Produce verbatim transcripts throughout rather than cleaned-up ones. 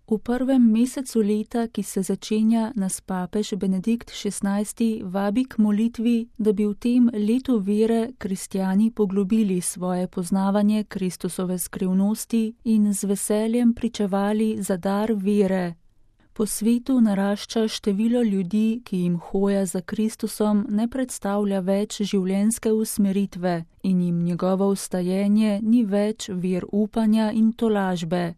V prvem mesecu leta, ki se začenja, nas papež Benedikt šestnajsti vabi k molitvi, da bi v tem letu vere kristjani poglobili svoje poznavanje Kristusove skrivnosti in z veseljem pričevali za dar vere. Po svetu narašča število ljudi, ki jim hoja za Kristusom ne predstavlja več življenjske usmeritve in jim njegovo vstajenje ni več vir upanja in tolažbe.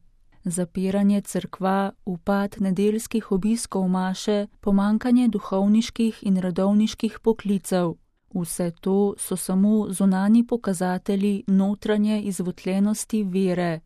Zapiranje cerkva, upad nedeljskih obiskov maše, pomanjkanje duhovniških in redovniških poklicev. Vse to so samo zunanji pokazatelji notranje izvotljenosti vere.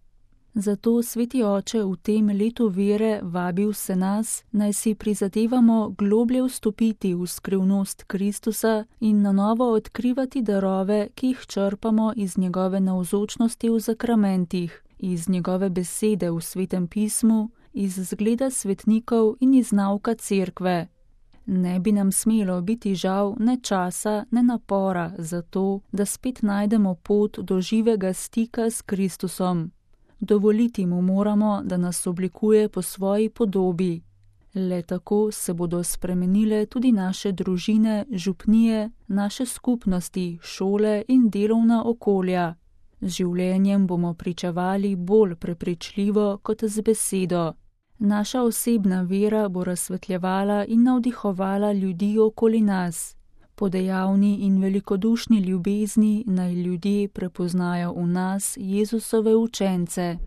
Zato sveti oče v tem letu vere vabi vse nas, naj si prizadevamo globlje vstopiti v skrivnost Kristusa in na novo odkrivati darove, ki jih črpamo iz njegove navzočnosti v zakramentih, iz njegove besede v Svetem pismu, iz zgleda svetnikov in iz nauka cerkve. Ne bi nam smelo biti žal ne časa, ne napora za to, da spet najdemo pot do živega stika s Kristusom. Dovoliti mu moramo, da nas oblikuje po svoji podobi. Le tako se bodo spremenile tudi naše družine, župnije, naše skupnosti, šole in delovna okolja. Z življenjem bomo pričevali bolj prepričljivo kot z besedo. Naša osebna vera bo razsvetljevala in navdihovala ljudi okoli nas. Po dejavni in velikodušni ljubezni naj ljudje prepoznajo v nas Jezusove učence.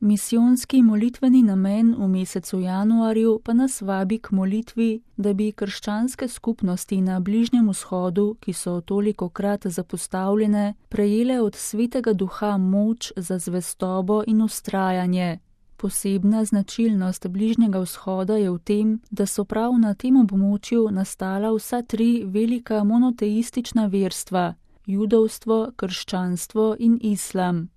Misijonski molitveni namen v mesecu januarju pa nas vabi k molitvi, da bi krščanske skupnosti na Bližnjem vzhodu, ki so tolikokrat zapostavljene, prejele od Svetega Duha moč za zvestobo in vztrajanje. Posebna značilnost Bližnjega vzhoda je v tem, da so prav na tem območju nastala vsa tri velika monoteistična verstva, judovstvo, krščanstvo in islam.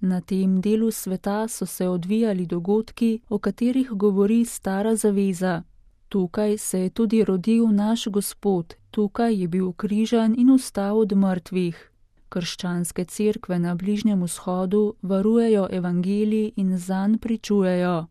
Na tem delu sveta so se odvijali dogodki, o katerih govori Stara zaveza. Tukaj se je tudi rodil naš Gospod, tukaj je bil križan in vstal od mrtvih. Krščanske cerkve na Bližnjem vzhodu varujejo evangelij in zanj pričujejo.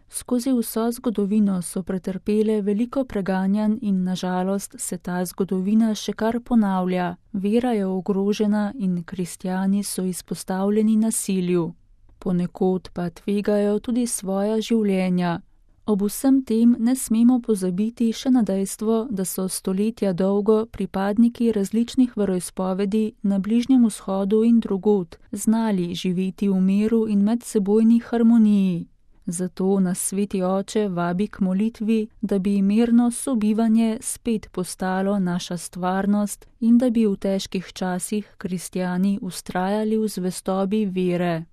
Skozi vso zgodovino so pretrpele veliko preganjanj in nažalost se ta zgodovina še kar ponavlja. Vera je ogrožena in kristjani so izpostavljeni nasilju. Ponekod pa tvegajo tudi svoja življenja. Ob vsem tem ne smemo pozabiti še na dejstvo, da so stoletja dolgo pripadniki različnih veroizpovedi na Bližnjem vzhodu in drugod znali živeti v miru in medsebojni harmoniji. Zato nas sveti oče vabi k molitvi, da bi mirno sobivanje spet postalo naša stvarnost in da bi v težkih časih kristjani vztrajali v zvestobi vere.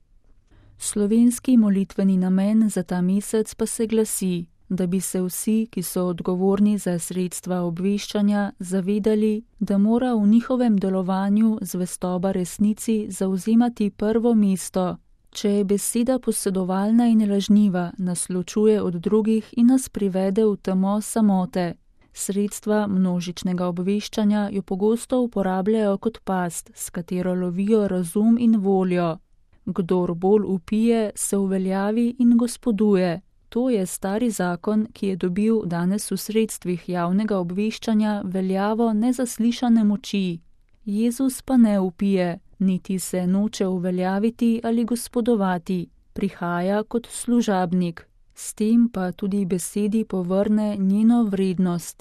Slovenski molitveni namen za ta mesec pa se glasi, da bi se vsi, ki so odgovorni za sredstva obveščanja, zavedali, da mora v njihovem delovanju zvestoba resnici zavzemati prvo mesto. Če je beseda posedovalna in lažniva, nas ločuje od drugih in nas privede v temo samote. Sredstva množičnega obveščanja jo pogosto uporabljajo kot past, s katero lovijo razum in voljo. Kdor bolj vpije, se uveljavi in gospoduje. To je stari zakon, ki je dobil danes v sredstvih javnega obveščanja veljavo nezaslišane moči. Jezus pa ne vpije, niti se noče uveljaviti ali gospodovati, prihaja kot služabnik. S tem pa tudi besedi povrne njeno vrednost.